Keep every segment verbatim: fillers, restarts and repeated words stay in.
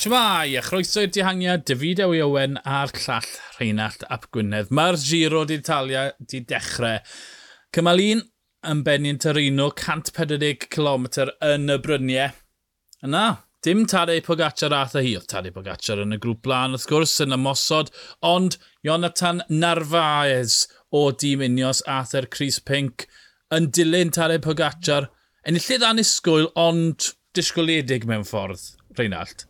Shwmae, a chroeso i'r dihangiad, David Ewi Owen a'r llall Rheinallt ap Gwynedd. Mae'r Giro d'Italia di dechrau. Cymal un yn benni yn Torino, cant pedwar deg cilometr yn y bryniau. Yna, dim Tadej Pogacar ath â hi. Oedd Tadej Pogacar yn y grŵp blaen, wrth gwrs, yn ymosod, ond Jonathan Narvaez o dîm Ineos ath e'r crys pinc yn dilyn Tadej Pogacar. Enillydd annisgwyl, ond disgwyliedig mewn ffordd, Rheinallt.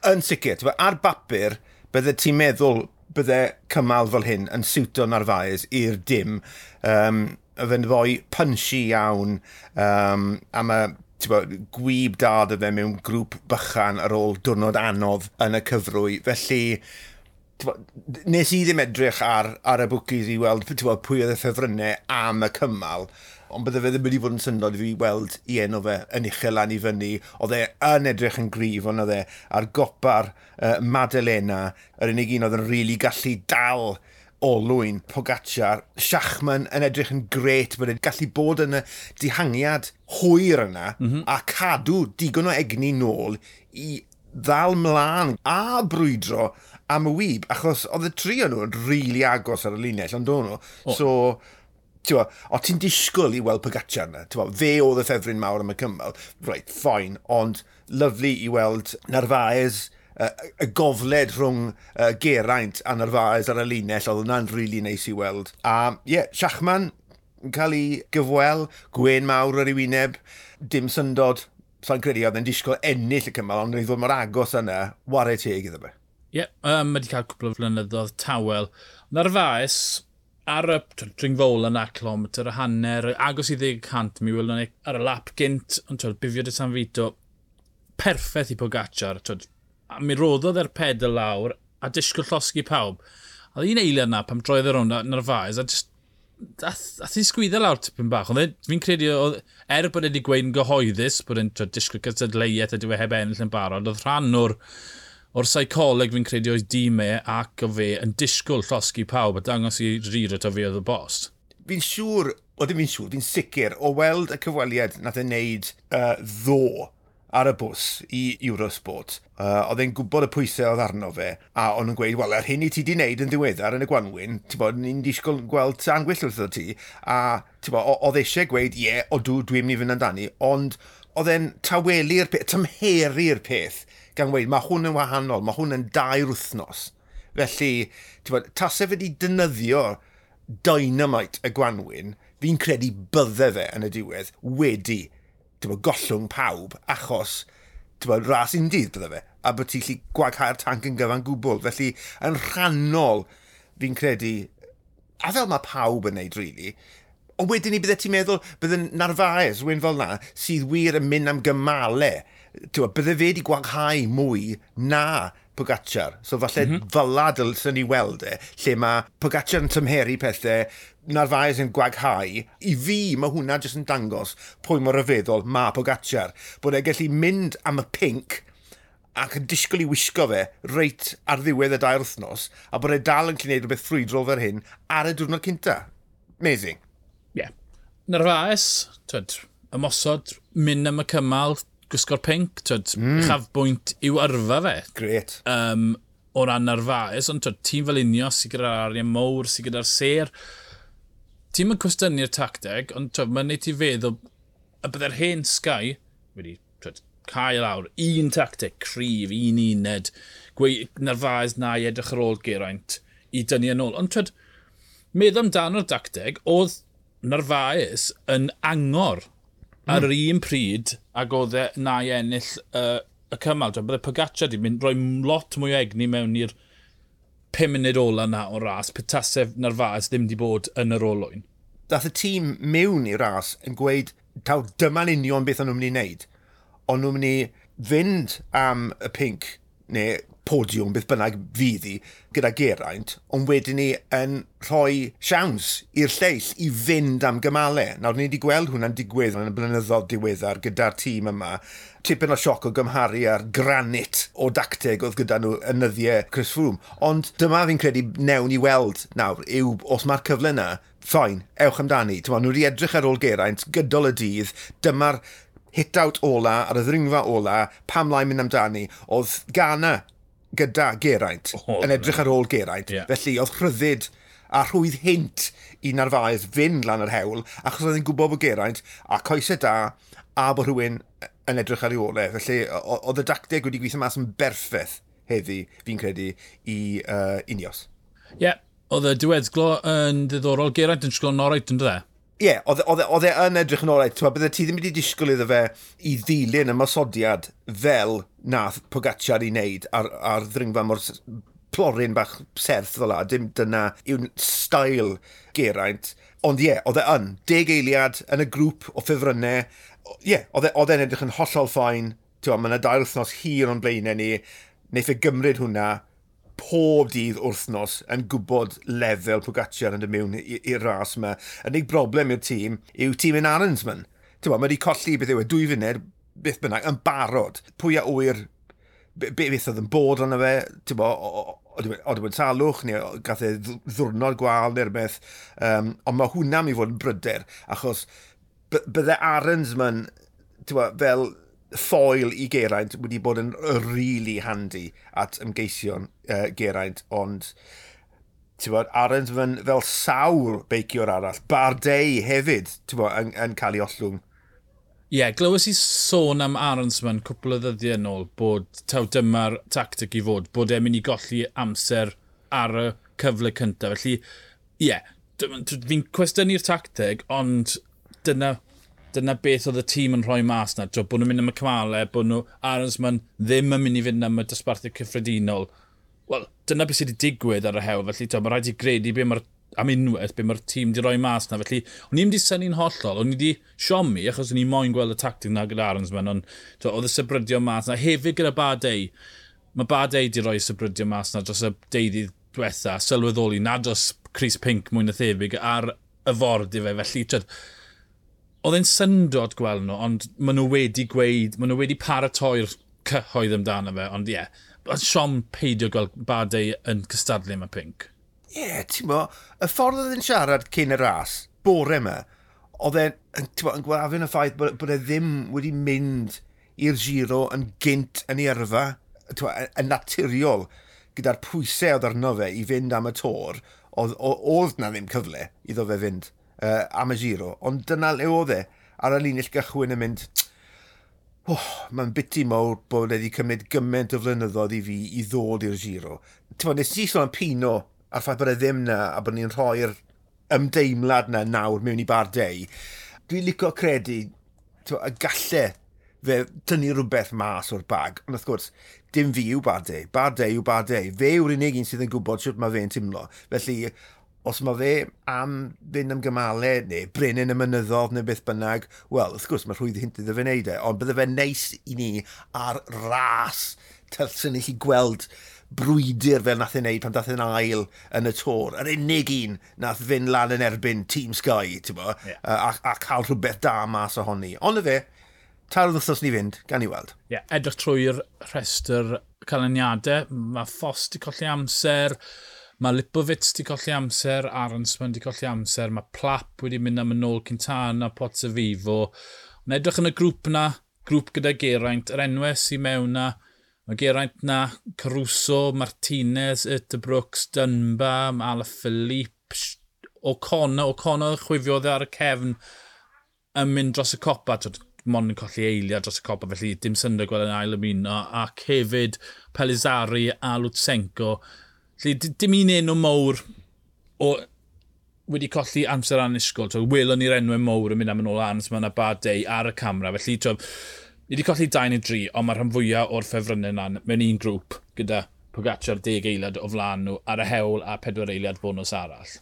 Yn sicr, t'bo, ar bapur, bydde ti'n meddwl bydde cymal fel hyn yn siwto Narvaez i'r dim. Um, fe'n foi punchy iawn, um, a mae, t'bo, gwyb da 'da fe mewn grŵp bychan ar ôl diwrnod anodd yn y cyfrwy. Felly, t'bo, nes i ddim edrych ar, ar y bookies i weld, t'bo, pwy oedd y ffefrynnau am y cymal, ond bydde fe ddim wedi bod yn syndod i fi weld i enw fe yn uchel lan i fyny. Oedd e yn edrych yn gryf, ond oedd e ar gopa'r uh, Maddalena, yr unig un oedd yn rili gallu dal olwyn Pogacar. Schachmann yn edrych yn gret, bod e'n gallu bod yn y dihangiad hwyr yna mm -hmm. a cadw digon o egni nôl i ddal mlaen a brwydro am y wyb, achos oedd y tri o'n nhw'n rili agos ar y linell, ond o'n nhw. Oh. So, t'bo, o ti'n disgwyl i weld Pogacar yna, t'bo, fe oedd y ffefryn mawr am y cymal, right, fine, ond lovely i weld Narvaez, uh, y gofled rhwng uh, Geraint a Narvaez ar y linell, oedd hwnna'n really neis i weld. A ie, yeah, Schachmann yn cael ei gyfwel, gwen mawr ar ei wyneb, dim syndod, sa'n credu oedd e'n disgwyl ennill y cymal, ond oedd ddod mor agos yna, ware teg iddo fe. Ie, yeah, um, mae wedi cael cwpl o flynyddoedd tawel. Narvaez, ar y dringfol yna, kilometr a hanner, agos i ddeg cant, mi welon ni ar y lap gynt, ond twel, Bivio de San Vito, perffaith i Pogacar, twel, a mi roddodd e'r pedal lawr a disgwyl llosgi pawb. A un eiliad yna, pam droedd e rownd Narvaez, a just, ath, ath i sgwyddo lawr tipyn bach. Ond e, fi'n credu, oedd, er bod e wedi gweud yn gyhoeddus, bod e'n disgwyl cystadleuaeth a dyw e heb ennill yn barod, oedd rhan o'r, o'r seicoleg fi'n credu oedd dîm e ac o fe yn disgwyl llosgi pawb a dangos i Giro taw fe oedd y bos. Fi'n siŵr, o ddim fi'n siŵr, fi'n sicr o weld y cyfweliad nath e wneud uh, ddo ar y bws i Eurosport. Uh, oedd e'n gwybod y pwysau oedd arno fe, a o'n nhw'n gweud, wel, yr hyn i ti di wneud yn ddiweddar yn y Gwanwyn, ti'n bod, ni'n disgwyl gweld tân gwyllt wrtho ti, a ti'n bod, oedd eisiau gweud, ie, yeah, odw, dwi'n mynd i fynd amdani, ond oedd e'n tawelu'r peth, tymheru'r peth, gan weud, mae hwn yn wahanol, mae hwn yn dair wythnos. Felly, ti'n bod, tase fe wedi defnyddio dynamite y Gwanwyn, fi'n credu bydde fe yn y diwedd wedi, ti'n bod, gollwng pawb, achos, ti'n bod, ras undydd bydde fe, a bod ti'n gallu gwaghau'r tanc yn gyfan gwbl. Felly, yn rhannol, fi'n credu, a fel mae pawb yn neud, really, ond wedyn ni bydde ti'n meddwl, bydde Narvaez, rhywun fel na, sydd wir yn mynd am gymalau, ti'n bod, bydde fe wedi gwaghau mwy na Pogacar. So falle mm -hmm. fel la dylsen ni weld e, lle mae Pogacar yn tymheru pethau, Narvaez yn gwaghau. I fi, mae hwnna jyst yn dangos pwy mor ryfeddol mae Pogacar. Bod e'n gallu mynd am y pinc ac yn disgwyl i wisgo fe reit ar ddiwedd y dair wythnos, a bod e dal yn gallu gwneud rhywbeth ffrwydrol fel hyn ar y diwrnod cynta. Amazing. Ie. Yeah. Narvaez, twyd, ymosod, mynd am y cymal, gwisgo'r pinc, twyd, mm. uchafbwynt i'w yrfa fe. Gret. Um, o ran Narvaez, ond twyd, tîm fel Ineos sydd gyda'r arian mowr, sydd gyda'r sêr. Ti'n mynd cwestiynu'r tacteg, ond twyd, mae'n neud ti feddwl y bydde'r hen Sky wedi, twyd, cael lawr un tacteg cryf, un uned, gweud Narvaez na i edrych ar ôl Geraint i dynnu yn ôl. Ond twyd, meddwl amdano'r dacteg, oedd Narvaez yn angor mm. ar yr un pryd ag oedd e na i ennill uh, y cymal. Twyd, bydde Pogacar di mynd rhoi lot mwy o egni mewn i'r pum munud ola na o ras, petasef Narvaez ddim di bod yn yr olwyn. Dath y tîm mewn i'r ras yn gweud, taw dyma'n union beth o'n nhw'n mynd i wneud. O'n nhw'n mynd i fynd am y pinc, neu podiwm, beth bynnag fydd hi, gyda Geraint, ond wedyn ni yn rhoi siawns i'r lleill i fynd am gymalau. Nawr, ni wedi gweld hwnna'n digwydd yn y blynyddoedd diweddar gyda'r tîm yma. Tipyn o sioc o gymharu â'r granit o dacteg oedd gyda nhw yn nyddiau Chris Froome. Ond dyma fi'n credu newn ni weld nawr yw, os mae'r cyfle yna, fine, ewch amdani. T'mo, nhw wedi edrych ar ôl Geraint gydol y dydd, dyma'r Hit-out ola, ar y ddringfa ola, pam lai mynd amdani, oedd Ganna gyda Geraint, oh, yn edrych ar ôl Geraint. Yeah. Felly oedd rhyddid a rhwydd hynt i Narvaez fynd lan yr hewl, achos oedd hi'n gwybod bod Geraint a coesau da a bod rhywun yn edrych ar ei ôl e. Felly oedd y dacteg wedi gweithio mas yn berffaith heddi, fi'n credu, i uh, Ineos. Ie, yeah, oedd y diweddglo yn ddiddorol. Geraint yn sglo'n oreit, yn dde? Ie, yeah, oedd e yn edrych yn oreit. Bydde ti ddim wedi disgwyl iddo fe i ddilyn y mosodiad fel nath Pogacar i wneud ar, ar ddringfa mor plorin bach serth fel la. Dim dyna yw'n stael Geraint. Ond ie, yeah, oedd e yn. Deg eiliad yn y grŵp o ffefrynnau. Ie, yeah, oedd e'n edrych yn hollol ffain. Mae yna dair wythnos hir o'n blaenau ni. Neith e gymryd hwnna pob dydd wythnos yn gwybod lefel Pogacar yn dod mewn i'r ras yma. Yr unig broblem i'r tîm yw tîm yn Arensman. Ti'n mae wedi colli beth yw e, dwy funud, beth bynnag, yn barod. Pwy a ŵyr beth oedd yn bod arno fe, ti'n bo, oedd wedi salwch, neu gath e ddwrnod gwael neu rhywbeth. Um, ond mae hwnna mi fod yn bryder, achos bydde Arensman, ti'n bo, fel ffoil i Geraint wedi bod yn really handy at ymgeision uh, Geraint, ond ti'n bod, Arensman fel sawl beiciwr arall, Bardet hefyd, ti'n bod, yn, yn cael ei ollwng. Ie, yeah, glywes i sôn am Arensman cwpl o ddyddiau yn ôl bod taw dyma'r tactic i fod, bod e'n mynd i golli amser ar y cyfle cyntaf. Felly, ie, yeah, fi'n cwestiynu'r tactig, ond dyna dyna beth oedd y tîm yn rhoi mas na. Bod nhw'n mynd am y cymalau, bod nhw Arensman ddim yn mynd i fynd am y dosbarthu cyffredinol. Wel, dyna beth sydd wedi digwydd ar y hewl, felly to, mae rhaid i gredu be mae'r am unwaith, be mae'r tîm wedi rhoi mas na. Felly, o'n i'n wedi synnu'n hollol, o'n i wedi siomi, achos o'n i moyn gweld y tactig na gyda Arensman, ond to, oedd y sybrydio mas na. Hefyd gyda Bardet, mae Bardet wedi rhoi sybrydio mas na dros y deuddydd diwetha, sylweddoli nad oes Chris Pink mwy na thebyg ar y ford i fe, felly twyd, oedd e'n syndod gweld nhw, ond maen nhw wedi gweud, maen nhw wedi paratoi'r cyhoedd amdano fe, ond ie, yeah, siom peidio gweld Bardet yn cystadlu am y Pink. Ie, yeah, ti'n bo, y ffordd oedd e'n siarad cyn y ras, bore yma, oedd e'n yn gwafyn y ffaith bod, bod e ddim wedi mynd i'r Giro yn gynt yn ei yrfa, bo, yn naturiol, gyda'r pwysau oedd arno fe i fynd am y Tour, oedd, oedd na ddim cyfle iddo fe fynd uh, am y Giro, ond dyna le oedd e ar y linell gychwyn yn mynd, oh, mae'n biti mawr bod wedi cymryd gymaint o flynyddoedd i fi i ddod i'r Giro. Ti'n bod, nes i sôn am Pino a'r ffaith bod e ddim na a bod ni'n rhoi'r ymdeimlad na nawr mewn i Bardet. Dwi'n licio credu bo, y galle fe tynnu rhywbeth mas o'r bag, ond wrth gwrs, dim fi yw Bardet. Bardet yw Bardet. Fe yw'r unig un sydd yn gwybod sut mae fe'n teimlo. Felly, os mae fe am fynd am gymalau neu brenin y mynyddodd neu beth bynnag, wel, wrth gwrs, mae rhwydd hynt iddo fe wneud e, ond bydde fe neis i ni ar ras tylsyn i chi gweld brwydr fel nath ei wneud pan dath e'n ail yn y Tour. Yr unig un nath fynd lan yn erbyn Team Sky, ti'n bo, yeah. a, a cael rhywbeth da mas ohoni. Ond y fe, tair wythnos ni fynd, gan i weld. Ie, yeah, edrych trwy'r rhestr canlyniadau, mae Foss di colli amser, mae Lipovitz di colli amser, Arensman di colli amser, mae Plapp wedi mynd am yn ôl Quintana, Pozzovivo. Ond edrych yn y grŵp na, grŵp gyda Geraint, yr enwau sy'n mewn na, mae Geraint na, Caruso, Martinez, Uterbrooks, Dunbar, Alaphilippe, O'Connor, O'Connor chwifiodd ar y cefn yn mynd dros y copa, twyd, mond yn colli eiliad dros y copa, felly dim syndod gweld yn ail ymuno, ac hefyd Pellizzari a Lutsenko. Felly dim un enw mowr o wedi colli amser annisgwyl. So, welon ni'r enwau mowr yn mynd am yn ôl Arnsman a Bardet ar y camera. Felly, to, ni wedi colli dau neu dri, ond mae'r rhan fwyaf o'r ffefrynnau yna mewn un grŵp gyda Pogacar deg eiliad o flaen nhw ar y hewl a pedwar eiliad bonws arall.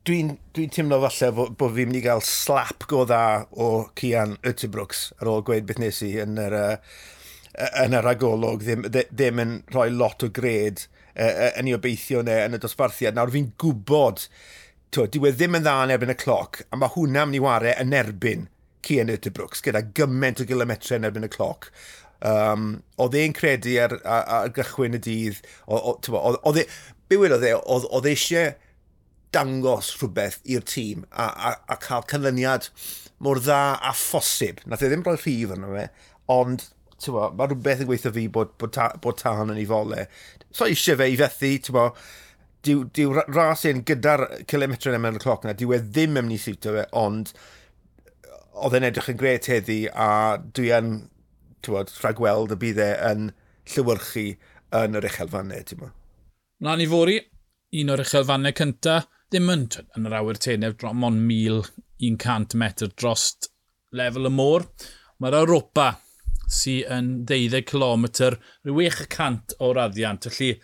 Dwi'n dwi teimlo falle bod, bod fi'n mynd i gael slap go dda o Cian Uterbrooks ar ôl gweud beth nes i yn yr, uh, yn yr agolwg, ddim, ddim yn rhoi lot o gred uh, yn ei obeithio neu yn y dosbarthiad. Nawr fi'n gwybod, twyd, dyw e ddim yn dda yn erbyn y cloc, a mae hwnna mynd i ware yn erbyn Cian Uterbrooks, gyda gymaint o gilometrau yn erbyn y cloc. Um, oedd e'n credu ar, ar, ar gychwyn y dydd, oedd e, be wedodd e, oedd eisiau dangos rhywbeth i'r tîm a, a, a cael canlyniad mor dda a phosib. Nath e ddim rhoi rhif arno fe, ond bo, mae rhywbeth yn gweithio fi bod, bod, ta, bod tân yn ei fole. So eisiau fe i fethu, bo, dyw, dyw ras un gyda'r kilometre yn y cloc na, dyw e ddim yn mynd i siwtio fe, ond oedd e'n edrych yn gret heddi a dwi yn bod, rhagweld y bydd e yn llewyrchu yn yr uchelfannau. Ti'n bo. Mlaen i fory, un o'r uchelfannau cynta, ddim yn, yn yr awyr tenef, mond mil un cant metr dros lefel y môr. Mae'r Europa sy'n yn deuddeg kilometr, rhyw chwech y cant o raddiant. Felly,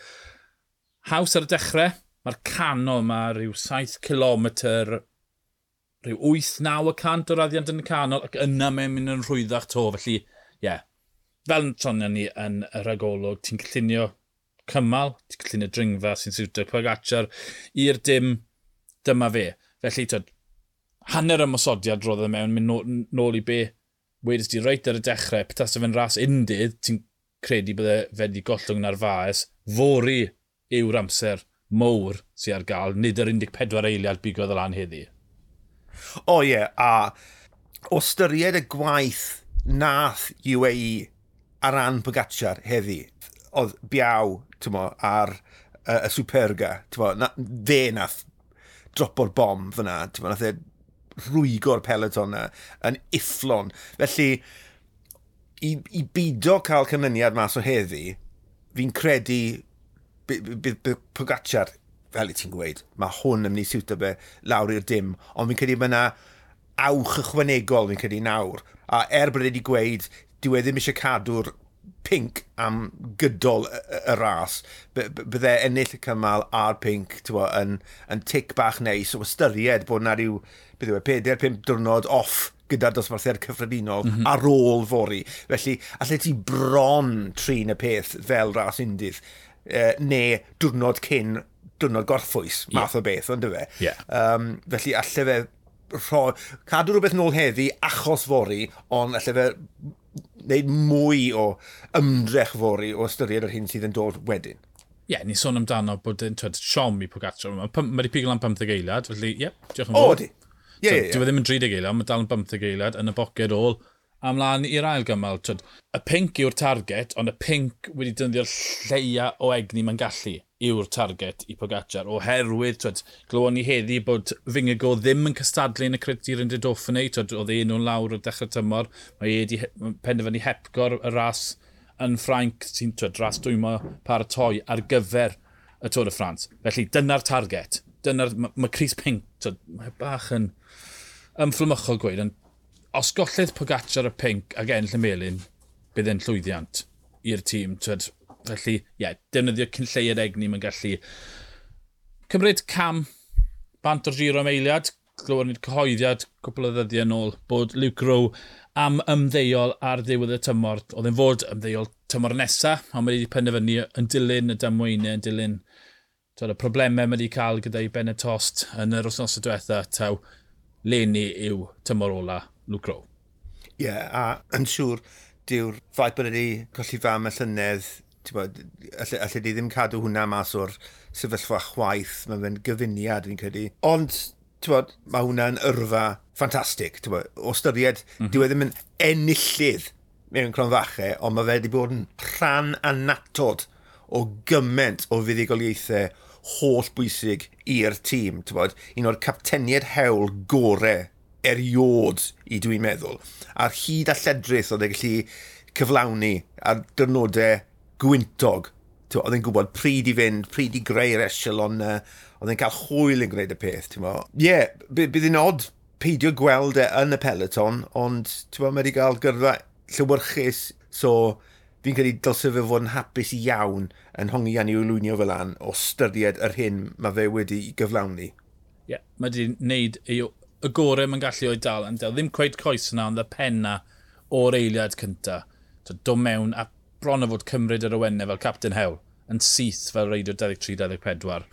haws ar y dechrau, mae'r canol yma rhyw saith kilometr, rhyw wyth naw y cant o raddiant yn y canol, ac yna mae'n mynd yn rhwyddach to. Felly, ie, yeah, fel sonion ni yn y rhagolwg, ti'n cynllunio cymal, ti'n cynllunio dringfa sy'n siwtio Pogacar i'r dim, dyma fe. Felly, twyd, hanner ymosodiad roedd e mewn, mynd nôl i be wedys di reit ar y dechrau, petase fe'n ras undydd, ti'n credu bydde fe wedi gollwng Narvaez, fory yw'r amser mowr sy'n ar gael, nid yr un deg pedwar eiliad bigodd y lan heddi. O ie, yeah, a o ystyried y gwaith nath U A E ar ran Pogacar heddi, oedd biaw, ti'n mo, ar y, y Superga, ti'n mo, na, fe nath dropo'r bom fyna, ti'n mo, nath e rwygo'r peloton na yn ufflon. Felly, i, i bido cael canlyniad mas o heddi, fi'n credu bydd Pogacar, fel i ti'n gweud, mae hwn yn mynd i siwtio fe lawr i'r dim, ond fi'n credu mae yna awch ychwanegol, fi'n credu nawr. A er bod e wedi gweud, dyw e ddim eisiau cadw'r pinc am gydol y, y, y ras, bydde ennill y cymal a'r pinc bo, yn, yn tic bach neis o ystyried bod na rhyw, beth yw e, pedair pump diwrnod off gyda'r dosbarthiad cyffredinol mm -hmm. ar ôl fory. Felly, allai ti bron trin y peth fel ras undydd, eh, neu diwrnod cyn diwrnod gorffwys, math yeah. o beth, ond fe. Yeah. Um, felly, allai fe rho, cadw rhywbeth nôl heddi achos fory, ond allai fe wneud mwy o ymdrech fory o ystyried yr hyn sydd yn dod wedyn. Ie, yeah, ni sôn amdano bod yn twed, siom i Pogacar. Mae wedi pigo lan pymtheg eiliad, felly ie, yeah, diolch yn fawr. O, di. Ie, ie, ie. Dyw e ddim yn dri deg eiliad, mae dal yn bymtheg eiliad yn y boced ôl. A mlaen i'r ail gymal, twed, y pinc yw'r target, ond y pinc wedi defnyddio'r lleia o egni mae'n gallu yw'r target i Pogacar, oherwydd, twed, glywon ni heddi bod Vingegaard ddim yn cystadlu yn y Criterium de Dauphiné, twed, oedd ei enw'n lawr o dechrau tymor, mae e wedi penderfynu hepgor y ras yn Ffrainc, sy'n twed, ras dwymo paratoi ar gyfer y Tour de France. Felly, dyna'r target. Dyna'r, mae ma crys pinc, twed, mae bach yn ymfflymychol gweud, ond os gollydd Pogacar y pinc ac ennill y melyn, bydd e'n llwyddiant i'r tîm. Twed, felly, ie, yeah, defnyddio cyn lleied egni mae'n gallu cymryd cam bant o'r Giro am eiliad. Glywon ni'r cyhoeddiad cwpl o ddyddiau yn ôl bod Luke Rowe am ymddeol ar ddiwedd y tymor. Oedd e'n fod ymddeol tymor nesaf, ond mae wedi penderfynu yn dilyn y damweiniau, yn dilyn twed, y problemau mae wedi cael gyda'i ben y tost yn yr wythnos diwetha, taw leni yw tymor ola Luke Rowe. Ie, yeah, a yn siŵr, dyw'r ffaith bod wedi colli fam y llynedd, bod, alle, alle di ddim cadw hwnna mas o'r sefyllfa chwaith, mae fe'n gyfuniad fi'n credu. Ond, bod, mae hwnna'n yrfa ffantastig, bod, o ystyried, mm -hmm. dyw e ddim yn enillydd mewn cronfachau, ond mae fe wedi bod yn rhan annatod o gymaint o fuddugoliaethau holl bwysig i'r tîm. Bod, un o'r capteniaid hewl gore eriod i dwi'n meddwl. A'r hyd a lledrith oedd e gallu cyflawni ar diwrnodau gwyntog. Oedd e'n gwybod pryd i fynd, pryd i greu'r echelon, oedd e'n cael hwyl yn gwneud y peth. Ie, yeah, bydd hi'n od peidio gweld e yn y peloton, ond mae wedi cael gyrfa llewyrchus, so fi'n credu dylse fe fod yn hapus iawn yn hongian i'w lwynio fel an o ystyried yr hyn mae fe wedi gyflawni. Ie, yeah, mae wedi wneud ei, y gorau mae'n gallu o'i dal. Yn dal. Ddim cweit coes yna, ond y penna o'r eiliad cynta. So, dod mewn a bron o fod cymryd yr awennau fel Captain Hewl yn syth fel reidiwr dau ddeg tri dau ddeg pedwar.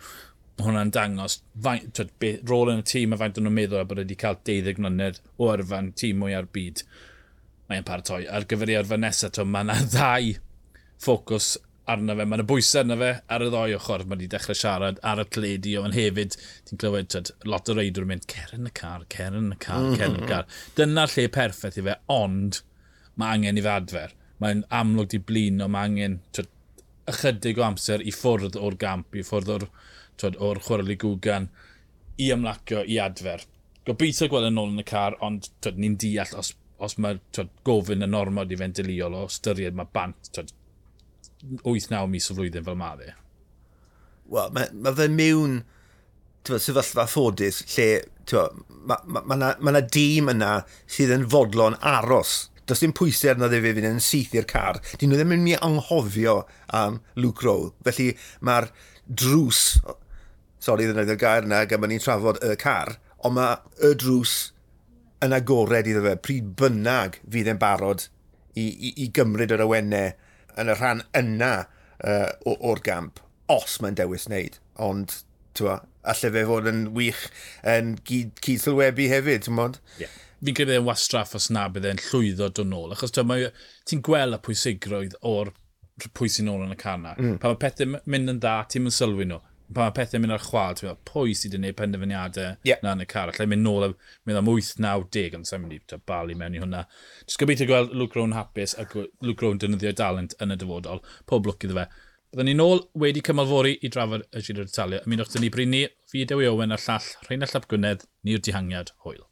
Mae hwnna'n dangos faint, twed, be, rôl yn y tîm a faint o'n nhw'n meddwl a bod wedi cael deuddeg mlynedd o yrfa'n tîm mwy ar byd. Mae'n paratoi ar gyfer ei yrfa nesaf. Mae yna ddau ffocws arno fe, mae yna bwysau arno fe ar y ddoi ochr, mae wedi dechrau siarad ar y teledu, ond hefyd, ti'n clywed tyd, lot o reidwyr yn mynd, cer yn y car, cer yn y car, cer yn y car. Dyna'r lle perffaith i fe, ond mae angen i fe adfer. Mae'n amlwg di blino, mae angen tyd, ychydig o amser i ffwrdd o'r gamp, i ffwrdd o'r, tyd, o'r chwarae Gwgan, i ymlacio, i adfer. Gobeithio gweld yn ôl yn y car, ond tyd, ni'n deall os, os mae tyd, gofyn yn ormod i fe'n deuluol o ystyried mae bant tyd, wyth naw mis o flwyddyn fel ma fe. Wel, mae ma fe mewn sefyllfa ffodus lle mae ma, ma, ma, ma na dîm yna sydd yn fodlon aros. Does dim pwysau arno fe fynd yn syth i'r car. Dyn nhw ddim yn mynd i anghofio am Luke Rowe. Felly mae'r drws, sori ddefnyddio'r gair yna, gan bod ni'n trafod y car, ond mae y drws yn agored iddo fe pryd bynnag fydd e'n barod i, i, i gymryd yr awennau yn y rhan yna uh, o'r gamp, os mae'n dewis wneud. Ond, ti'n alle fe fod yn wych yn gyd, cyd-sylwebu hefyd, ti'n bod? Yeah. Fi'n credu e'n wastraff os na bydd e'n llwyddo dod nôl, achos ti'n gweld y pwysigrwydd o'r pwy sy'n nôl yn y car na. Mm. Pan mae pethau'n mynd yn dda, ti'n mynd sylwi nhw. Pan mae pethau'n mynd ar chwal, ti'n meddwl, pwy sydd wedi gwneud penderfyniadau yeah. na yn y car. Allai mynd nôl a mynd am wyth, naw, deg, ond sa'n mynd i balu mewn i hwnna. Jyst gobeithio gweld Luke Rowe yn hapus a Luke Rowe yn defnyddio dalent yn y dyfodol. Pob lwc iddo fe. Byddwn ni nôl wedi cymal fory i drafod y Giro d'Italia. Ymunwch 'da ni bryd 'ny, fi Dewi Owen a'r llall Rheinallt ap Gwynedd, ni'r dihangiad. Hwyl.